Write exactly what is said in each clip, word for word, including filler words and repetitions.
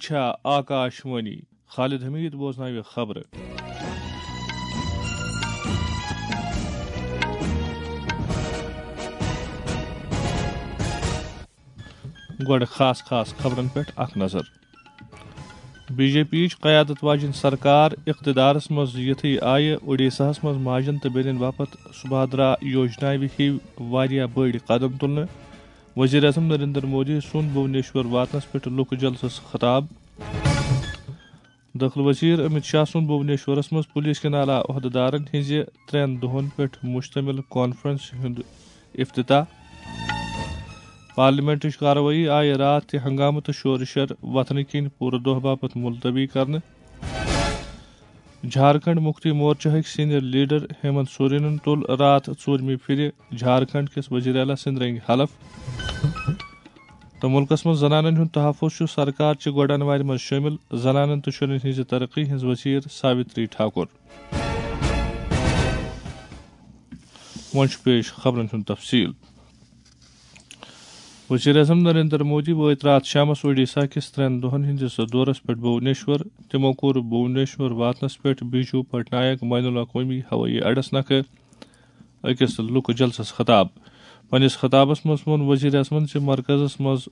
چھا آکاش وانی۔ خالد حمید بوزناوِ خبرٕ۔ گۄڈٕ خاص خاص خبرن پٮ۪ٹھ اکھ نظر۔ بی جے پی یِچ قیادت واجیٚنۍ سرکار اقتدارس منٛز یِتھٕے آیہِ اوڈیشاہس منٛز ماجن تہٕ بیٚنٮ۪ن باپتھ سبھادرا یوجناوِ ہِوۍ واریاہ بٔڑۍ قدم تُلنہٕ۔ وزیر اعظم نریندر مودی سُنٛد بھونیشور واتنس پٮ۪ٹھ لُکہٕ جلسس خطاب۔ دٲخلہٕ وزیر امت شاہ سُنٛد بھونیشورس منٛز پولیس کٮ۪ن اعلیٰ عہدٕدارن ہٕنٛزِ ترٛٮ۪ن دۄہن پٮ۪ٹھ مشتمل کانفرنسہِ ہُنٛد افتتاح۔ پارلیمنٹٕچ کاروٲیی آیہِ راتھ تہِ ہنگامہٕ تہٕ شورٕ شر وتھنہٕ کِنۍ پوٗرٕ دۄہ باپتھ ملتوی کرنہٕ۔ جھارکھنڈ مکتی مورچہٕکۍ سینئر لیڈر ہیمنت سورینن تُل راتھ ژوٗرمہِ پھرِ جھارکھنڈ کِس وزیر اعلیٰ سٕنٛدِ رنگہِ حلف۔ تہٕ مُلکَس منٛز زنانَن ہُنٛد تحفظ چھُ سرکار چہِ گۄڈَن وارِ منٛز شٲمِل زنانَن تہٕ شُرٮ۪ن ہٕنٛزِ ترقی ہٕنٛز وزیر ساوتری ٹھاکُر۔ وۄنۍ چھُ پیش خبرَن ہُنٛد تفصیٖل۔ وزیر اعظم نریندر مودی وٲتۍ راتھ شامَس اوڈیشہ کِس ترٛٮ۪ن دۄہَن ہٕنٛدِس دورَس پٮ۪ٹھ بھونیشور۔ تِمو کوٚر بھونیشور واتنَس پٮ۪ٹھ بیجو پٹنایک بین الاقوٲمی ہوٲیی اڈَس نکھٕ أکِس لُکہٕ جلسَس خطاب۔ پننِس خطابَس منٛز ووٚن وزیر اعظمَن زِ مرکزَس منٛز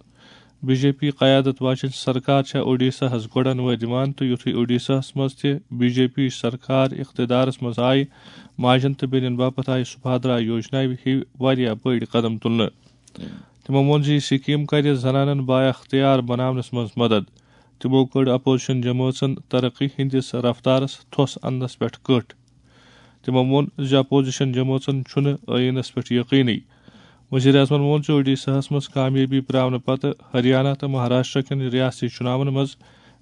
بی جے پی قیادت واجیٚنۍ سرکار چھےٚ اوڈیشاہَس گۄڈَن وٲدۍ دِوان تہٕ یُتھُے اوڈیشاہَس منٛز تہِ بی جے پی سرکار اقتدارَس منٛز آیہِ، ماجن تہٕ بیٚنٮ۪ن باپتھ آیہِ سبھادرا یوجناوِ ہِوۍ واریاہ بٔڑۍ قدم تُلنہٕ۔ تِمو ووٚن زِ یہِ سکیٖم کَرِ زنانَن بااختیار بناونَس منٛز مدد۔ تِمو کٔڑ اپوزیشن جمٲژن ترقی ہٕنٛدِس رفتارَس تھوٚس اننَس پٮ۪ٹھ کٔٹھ۔ تِمو ووٚن زِ اپوزیشن جمٲژن چھُنہٕ ٲییٖنَس پٮ۪ٹھ یقینٕے۔ وزیر اعظمَن ووٚن زِ اوڈیشاہَس منٛز کامیٲبی پراونہٕ پتہٕ ہریانہ تہٕ مہاراشٹرا کٮ۪ن ریاستی چُناون منٛز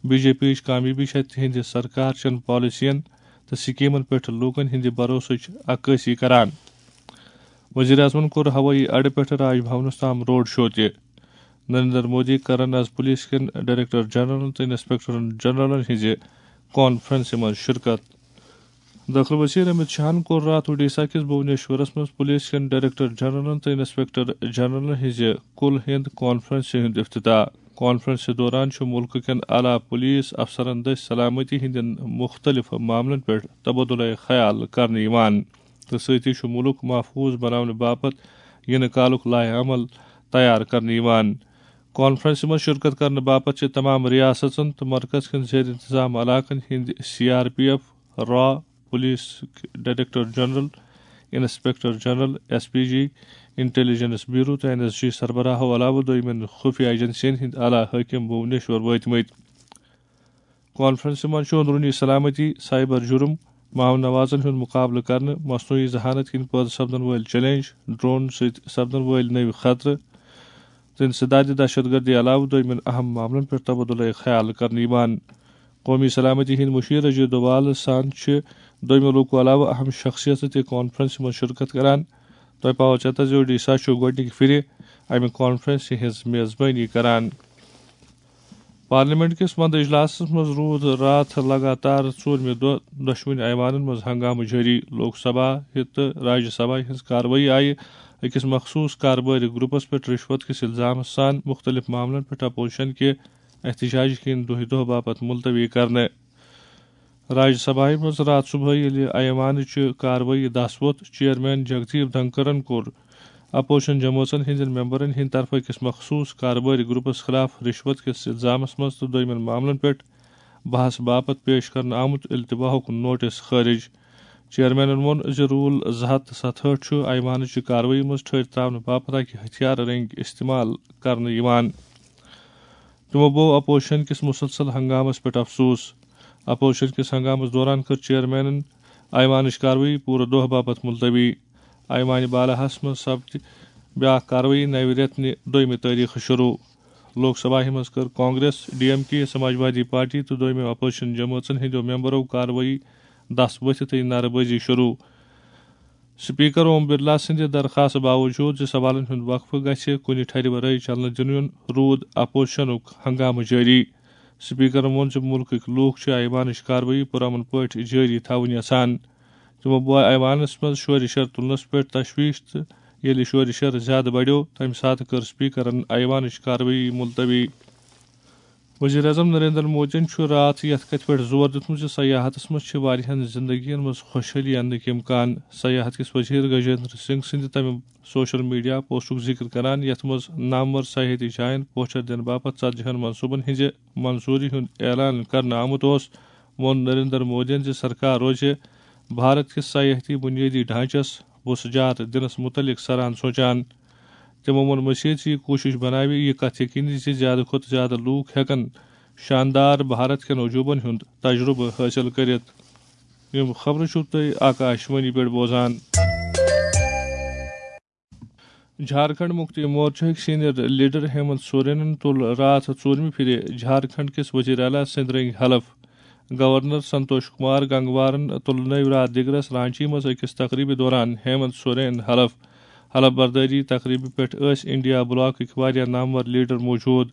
بی جے پی یِچ کامیٲبی چھےٚ تِہنٛدِ سرکار چٮ۪ن پالیسین تہٕ سکیمن پٮ۪ٹھ لوٗکن ہٕنٛدِ بھروسٕچ عکٲسی کران۔ وزیر اعظمَن کوٚر ہوٲیی اڈٕ پٮ۪ٹھٕ راج بھونَس تام روڈ شو تہِ۔ نریندر مودی کرن از پولیس کٮ۪ن ڈائریکٹر جنرلن تہٕ انسپکٹرن جنرلن ہٕنٛزِ کانفرنسہِ منٛز شرکت۔ دٲخلہٕ وزیر امت شاہن کوٚر راتھ اوڈیشہ کِس بھونیشورس منٛز پولیس کٮ۪ن ڈائریکٹر جنرلن تہٕ انسپکٹر جنرلن ہٕنٛزِ کُل ہِنٛد کانفرنسہِ ہُنٛد افتتاح۔ کانفرنسہِ دوران چھُ مُلکہٕ کٮ۪ن اعلیٰ پولیس افسرن دٔسۍ سلامتی ہٕنٛدٮ۪ن مُختٔلِف معاملن پٮ۪ٹھ تبادلہ خیال کرنہٕ یِوان تہٕ سۭتی چھُ مُلک محفوظ بناونہٕ باپتھ یِنہٕ کالُک لائحہ عمل تیار کرنہٕ یِوان۔ کانفرنسہِ منٛز شرکت کرنہٕ باپتھ چھِ تمام ریاستن تہٕ مرکز کٮ۪ن زیر انتظام علاقن ہٕنٛدۍ سی آر پی ایف، را، police director general, inspector general, S P G, intelligence bureau تہٕ این ایس جی سربراہو علاوٕ دوٚیمٮ۪ن خفیہ ایجنسین ہٕنٛدۍ اعلیٰ حٲکم بھونیشور وٲتمٕتۍ۔ کانفرنسہِ منٛز چھُ اندروٗنی سلامتی، سائبر جرم، ماحول نوازن ہُنٛد مقابلہٕ کرنہٕ، مصنوعی ذہانت کِنۍ پٲدٕ سپدن وٲلۍ چیلنج، ڈرون سۭتۍ سپدن وٲلۍ نٔوۍ خطرٕ تہٕ انسداد دہشت گردی علاوٕ دوٚیمٮ۪ن اہم معاملن پٮ۪ٹھ تبادلہ خیال کرنہٕ یِوان۔ قومی سلامتی ہٕنٛدۍ مشیر اجے دووال سان چھِ دوٚیمہِ لوکو علاوٕ اہم شخصیتہٕ تہِ کانفرنسہِ منٛز شرکت کران۔ تۄہہِ پاوو چیتہ زِ اوڈیشہ چھُ گۄڈٕنِکہِ پھِرِ امہِ کانفرنسہِ ہٕنٛز میزبٲنی کران۔ پارلیمنٹ کِس وندٕ اجلاسَس منٛز روٗد راتھ لگاتار ژوٗرمہِ دۄہ دۄشوٕنی ایوانَن منٛز ہنگامہٕ جٲری۔ لوک سبھا تہٕ راجیہ سبھا ہٕنٛز کاروٲیی آیہِ أکِس مخصوٗص کاربٲرۍ گروپس پٮ۪ٹھ رشوت کِس الزامس سان مُختٔلِف معاملن پٮ۪ٹھ اپوزیشن کہِ احتجاج کِنۍ دۄہہِ دۄہ باپتھ ملتوی کرنہٕ۔ راجیہ سبھایہ منٛز راتھ صبحٲے ییٚلہِ ایوانٕچ کاروٲیی دس ووٚتھ، چیئرمین جگدیپ دھنکرن کوٚر اپوزیشن جمٲژن ہٕنٛدٮ۪ن ممبرن ہٕنٛدِ طرفہٕ أکِس مخصوٗص کاربٲرۍ گروپس خلاف رشوت کِس الزامس منٛز تہٕ دوٚیمٮ۪ن معاملن پٮ۪ٹھ بحث باپتھ پیش کرنہٕ آمُت التواہُک نوٹس خٲرج۔ چیئرمینن ووٚن زِ رول زٕ ہتھ تہٕ ستہٕ ہٲٹھ چھُ ایوانٕچہِ کاروٲیی منٛز ٹھٔہرۍ ترٛاونہٕ باپتھ اکہِ ہتھیارٕ رٔنگۍ استعمال کرنہٕ یِوان۔ تِمو بوو اپوزیشن کِس مسلسل ہنگامس پٮ۪ٹھ افسوس۔ اپوزیشن کِس ہنگامس دوران کٔر چیئرمینن ایوانٕچ کاروٲیی پوٗرٕ دۄہ باپتھ ملتوی۔ ایوانِ بالاہس منٛز سپدِ بیاکھ کاروٲیی نوِ رٮ۪تہٕ نہِ دوٚیمہِ تٲریخہٕ شروع۔ لوک سبھاہہِ منٛز کٔر کانگریس، ڈی ایم کے، سماجوادی پارٹی تہٕ دوٚیمہِ اپوزیشن جمٲژن ہٕنٛدیو ممبرو کاروٲیی دس ؤتھِتھٕے نعرٕ بٲزی شروع۔ سپیکر اوم برلا سٕنٛدِ درخاست باوجود زِ سوالن ہُنٛد وقفہٕ گژھِ کُنہِ ٹھرِ ورٲے چلنہٕ دِنہٕ یُن، روٗد اپوزیشنُک ہنگامہٕ جٲری۔ سپیکرن ووٚن زِ مُلکٕکۍ لوٗکھ چھِ ایوانٕچ کاروٲیی پُرامن پٲٹھۍ جٲری تھاوٕنۍ یژھان۔ تِمو بوے ایوانس منٛز شورِ شر تُلنس پٮ۪ٹھ تشویش تہٕ ییٚلہِ شورِ شر زیادٕ بڑیو، تمہِ ساتہٕ کٔر سپیکرن ایوانٕچ کاروٲیی ملتوی۔ وزیر اعظم نریندر مودیَن چھُ راتھ یَتھ کَتھِ پٮ۪ٹھ زور دیُتمُت زِ سیاحتَس منٛز چھِ واریاہَن زندگیَن منٛز خوشحٲلی اَننٕکۍ امکان۔ سیاحت کِس وزیر گجیندر سنگھ سٕنٛدِ تَمہِ سوشل میڈیا پوسٹُک ذِکر کران، یَتھ منٛز نامور سیاحتی جاین پوچھر دِنہٕ باپتھ ژتجی ہن منصوٗبن ہٕنٛزِ منظوٗری ہُنٛد اعلان کرنہٕ آمُت اوس، ووٚن نریندر مودیَن زِ سرکار روزِ بھارت کِس سیاحتی بُنیٲدی ڈھانچس وُژھ جار دِنس مُتعلق سران سونچان۔ تِمو ووٚن مٔزیٖد زِ یہِ کوٗشِش بناوِ یہِ کتھ یقینی زِ زیادٕ کھۄتہٕ زیادٕ لوٗکھ ہٮ۪کن شاندار بھارت کٮ۪ن عجوٗبن ہُنٛد تجرُبہٕ حٲصِل کٔرِتھ۔ یِم خبرٕ چھِو تُہۍ آکاش وانی پٮ۪ٹھ بوزان۔ جھارکھنڈ مُکتی مورچہٕکۍ سینئر لیڈر ہیمنت سورینن تُل راتھ ژوٗرمہِ پھِرِ جھارکھنڈ کِس وزیر اعلیٰ سٕنٛدۍ رٔنگۍ حلف۔ گورنر سنتوش کمار گنگوارن تُل نٔوۍ راتھ دِگرس رانچی منٛز أکِس تقریبہِ دوران ہیمنت سورین حلف۔ حلف بردٲری تقریبہِ پٮ۪ٹھ ٲسۍ انڈیا بلاکٕکۍ واریاہ نامور لیڈر موجود۔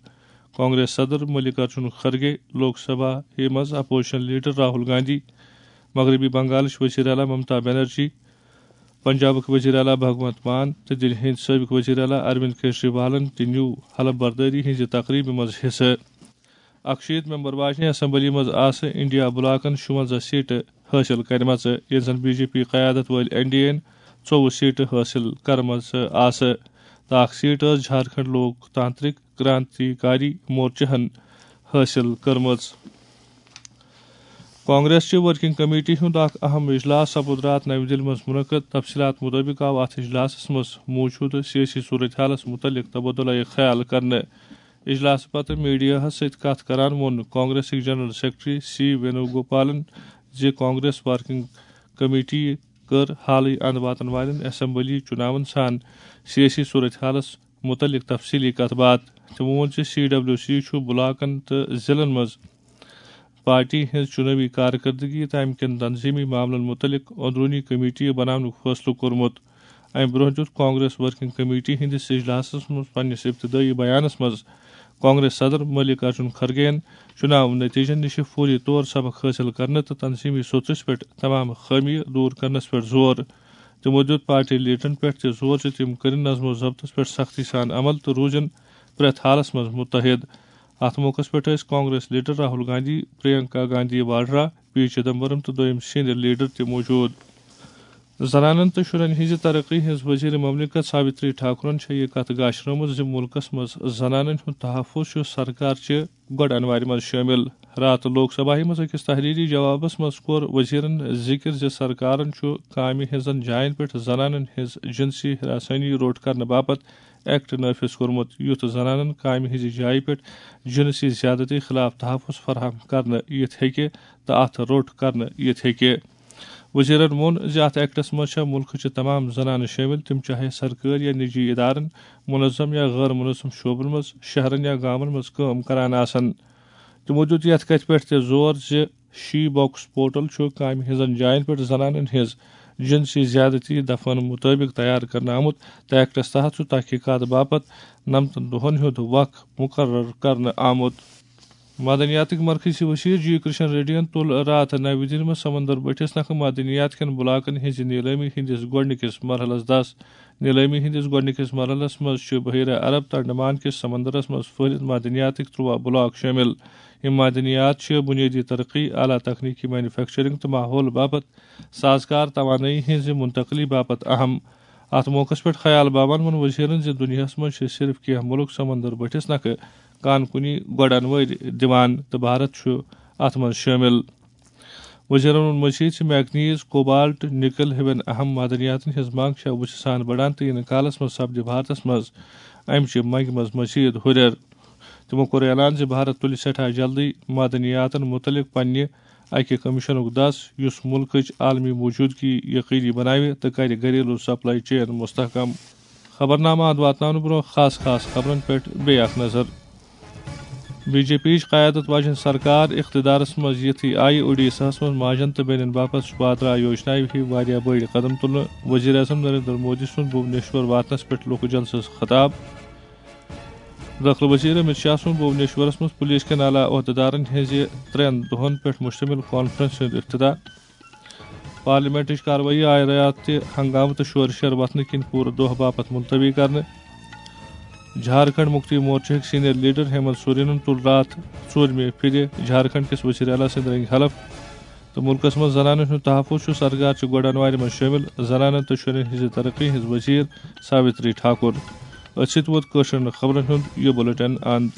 کانگریس صدر ملک ارجن خرگے، لوک سبھا منٛز اپوزیشن لیڈر راہل گاندھی، مغربی بنگالٕچ وزیر اعلیٰ ممتا بنرجی، پنجابٕکۍ وزیر اعلیٰ بھگونت مان تہٕ دِلہِ ہٕنٛدۍ سٲبِق وزیر اعلیٰ اروند کیجریوالن تہِ نیوٗ حلف بردٲری ہٕنٛزِ تقریبہِ منٛز حصہٕ۔ اکشیٖتھ ممبر واجنہِ اسمبلی منٛز آسہٕ انڈیا بلاکن شُونٛزاہ سیٹہٕ حٲصِل کرِمژٕ، ییٚلہِ زن بی جے پی قیادت وٲلۍ این ڈی اے یَن ژوٚوُہ سیٹہٕ حٲصِل کرمژٕ آسہٕ تہٕ اکھ سیٹ ٲس جھارکھنڈ لوک تانترک کرانتی کاری مورچہن حٲصِل کٔرمٕژ۔ کانگریس چہِ ورکنگ کمیٹی ہُنٛد اکھ اہم اجلاس سپُد راتھ نَوِ دِلہِ منٛز منعقد۔ تفصیلات مُطٲبِق آو اتھ اجلاسس منٛز موٗجوٗدٕ سیٲسی صورتحالس مُتعلق تبادلہ خیال کرنہٕ۔ اجلاسہٕ پتہٕ میڈیاہس سۭتۍ کتھ کران ووٚن کانگریسٕکۍ جنرل سیکرٹری سی وینو گوپالن زِ کانگریس ورکنگ کمیٹی کٔر حالٕے اند واتن والٮ۪ن اسمبلی چُناون سان سیٲسی صورتحالس مُتعلق تفصیٖلی کتھ باتھ۔ تِمو ووٚن زِ سی ڈبلیو سی چھُ بلاکن تہٕ ضلعن منٛز پارٹی ہٕنٛز چُنٲوی کارکردگی تہٕ امہِ کٮ۪ن تنظیمی معاملن مُتعلق اندروٗنی کمیٹی بناونُک فٲصلہٕ کوٚرمُت۔ امہِ برٛونٛہہ دیُت کانگریس ورکنگ کمیٹی ہٕنٛدِس اجلاسس منٛز پننِس ابتدٲیی بیانس منٛز کانگریس صدر ملک ارجن کھرگے یَن چُناو نتیجن نِش فوری طور سبق حٲصِل کرنہٕ تہٕ تنظیمی سوٚژس پٮ۪ٹھ تمام خٲمیہِ دوٗر کرنس پٮ۪ٹھ زور۔ تِمو دیُت پارٹی لیڈرن پٮ۪ٹھ تہِ زور زِ تِم کٔرِن نظم و ضبطس پٮ۪ٹھ سختی سان عمل تہٕ روٗزِن پرٛٮ۪تھ حالس منٛز متحد۔ اتھ موقعس پٮ۪ٹھ ٲسۍ کانگریس لیڈر راہل گاندھی، پرینکا گاندھی واڈرا، پی چدمبرم تہٕ دوٚیِم سینئر لیڈر تہِ موجود۔ زنانن تہٕ شُرٮ۪ن ہٕنٛزِ ترقی ہٕنٛز وزیر مملکت ساوتری ٹھاکرن چھےٚ یہِ کتھ گاشرٲومٕژ زِ مُلکس منٛز زنانن ہُنٛد تحفظ چھُ سرکار چہِ گۄڈٕ انوارِ منٛز شٲمِل۔ راتہٕ لوک سبھاہہِ منٛز أکِس تحریری جوابس منٛز کوٚر وزیرن ذِکر زِ سرکارن چھُ کامہِ ہٕنٛزن جاین پٮ۪ٹھ زنانن ہٕنٛز جنسی ہراسانی روٚٹ کرنہٕ باپتھ ایکٹ نافذ کوٚرمُت، یُتھ زنانن کامہِ ہٕنٛزِ جایہِ پٮ۪ٹھ جنسی زیادتی خلاف تحفظ فراہم کرنہٕ یِتھ ہیٚکہِ تہٕ اتھ روٚٹ کرنہٕ یِتھ ہیٚکہِ۔ وزیرن ووٚن زِ اتھ ایکٹس منٛز چھےٚ مُلکٕچہِ تمام زنانہٕ شٲمِل، تِم چاہے سرکٲرۍ یا نجی ادارن، منظم یا غٲر منظم شعبن منٛز، شہرن یا گامن منٛز کٲم کران آسن۔ تِمو دیُت یتھ کتھِ پٮ۪ٹھ تہِ زور زِ شی باکس پورٹل چھُ کامہِ ہٕنٛزن جاین پٮ۪ٹھ زنانن ہٕنٛز جنسی زیادتی دفعن مُطٲبِق تیار کرنہٕ آمُت تہٕ ایکٹس تحت چھُ تحقیقات باپتھ نَمتَن دۄہَن ہُنٛد وق مُقرر کرنہٕ آمُت۔ معدنیاتٕکۍ مرکزی وزیر جی کرشن ریڈیَن تُل راتھ نَوِ دِلہِ منٛز سمندر بٔٹھِس نکھٕ معدنیات کٮ۪ن بلاکن ہٕنٛزِ نیلٲمی ہٕنٛدِس گۄڈٕنِکِس مرحلس دَس۔ نیلٲمی ہٕنٛدِس گۄڈٕنِکِس مرحلس منٛز چھِ بحیرہ عرب تہٕ انڈمان کِس سمندرس منٛز پھٔہلِتھ معدنیاتٕکۍ تُرٛواہ بلاک شٲمِل۔ یِم معدنیات چھِ بُنیٲدی ترقی، اعلیٰ تکنیکی مینوفیکچرنگ تہٕ ماحول باپتھ سازگار توانٲیی ہٕنٛزِ منتقلی باپتھ اہم۔ اتھ موقعس پٮ۪ٹھ خیال باوان ووٚن وزیرن زِ دُنیاہس منٛز چھِ صرف کینٛہہ مُلک سمندر بٔٹھِس نکھٕ کان کُنی گۄڈن وٲرۍ دِوان تہٕ بھارت چھُ اتھ منٛز شٲمِل۔ وزیرن ووٚن مزید زِ میگنیز، کوبالٹ، نکل ہِوٮ۪ن اہم معدنیاتن ہٕنٛز منٛگ چھےٚ وُژھِ سان بڑان تہٕ یِنہٕ کالس منٛز سپدِ بھارتس منٛز امہِ چہِ منٛگہِ منٛز مزید ہُرٮ۪ر۔ تِمو کوٚر اعلان زِ بھارت تُلہِ سٮ۪ٹھاہ جلدی معدنیاتن مُتعلق پننہِ اکہِ کمیشنُک دس، یُس مُلکٕچ عالمی موجودگی یقینی بناوِ تہٕ کرِ گھریلو سپلائی چین مستحکم۔ خبرنامہٕ اند واتناونہٕ برونٛہہ خاص خاص خبرن پٮ۪ٹھ بیٚیہِ اکھ نظر۔ بی جے پی یِچ قیادت واجیٚنۍ سرکار اقتدارس منٛز یِتھٕے آیہِ اوڈیشاہس منٛز ماجن تہٕ بیٚنٮ۪ن باپتھ سُبھادرا یوجنایہِ ہِوۍ واریاہ بٔڑۍ قدم تُلنہٕ۔ وزیر اعظم نریندر مودی سُنٛد بھونیشور واتنس پٮ۪ٹھ لوکہٕ جلسس خطاب۔ دٲخلہٕ وزیر امت شاہ سُنٛد بھونیشورس منٛز پولیس کٮ۪ن اعلیٰ عہدیدارن ہٕنٛزِ ترٛٮ۪ن دۄہن پٮ۪ٹھ مشتمل کانفرنس ہُنٛد افتتاح۔ پارلیمنٹٕچ کاروٲیی آیہِ راتھ تہِ ہنگامہٕ تہٕ شورٕ شر وتھنہٕ کِنۍ پوٗرٕ دۄہ باپتھ ملتوی کرنہٕ۔ جھارکھنڈ مکتی مورچہٕکۍ سینئر لیڈر ہیمنت سورینن تُل راتھ ژوٗرمہِ پھِرِ جھارکھنڈ کِس وزیر اعلیٰ سٕنٛدۍ رٔنگۍ حلف، تہٕ مُلکس منٛز زنانن ہُنٛد تحفظ چھُ سرکار چہِ گۄڈنوارِ منٛز شٲمِل۔ زنانن تہٕ شُرٮ۪ن ہٕنٛزِ ترقی ہٕنٛز وزیر ساوتری ٹھاکر۔ أتھۍ سۭتۍ ووت کٲشرٮ۪ن خبرن ہُنٛد یہِ بُلٹن اند۔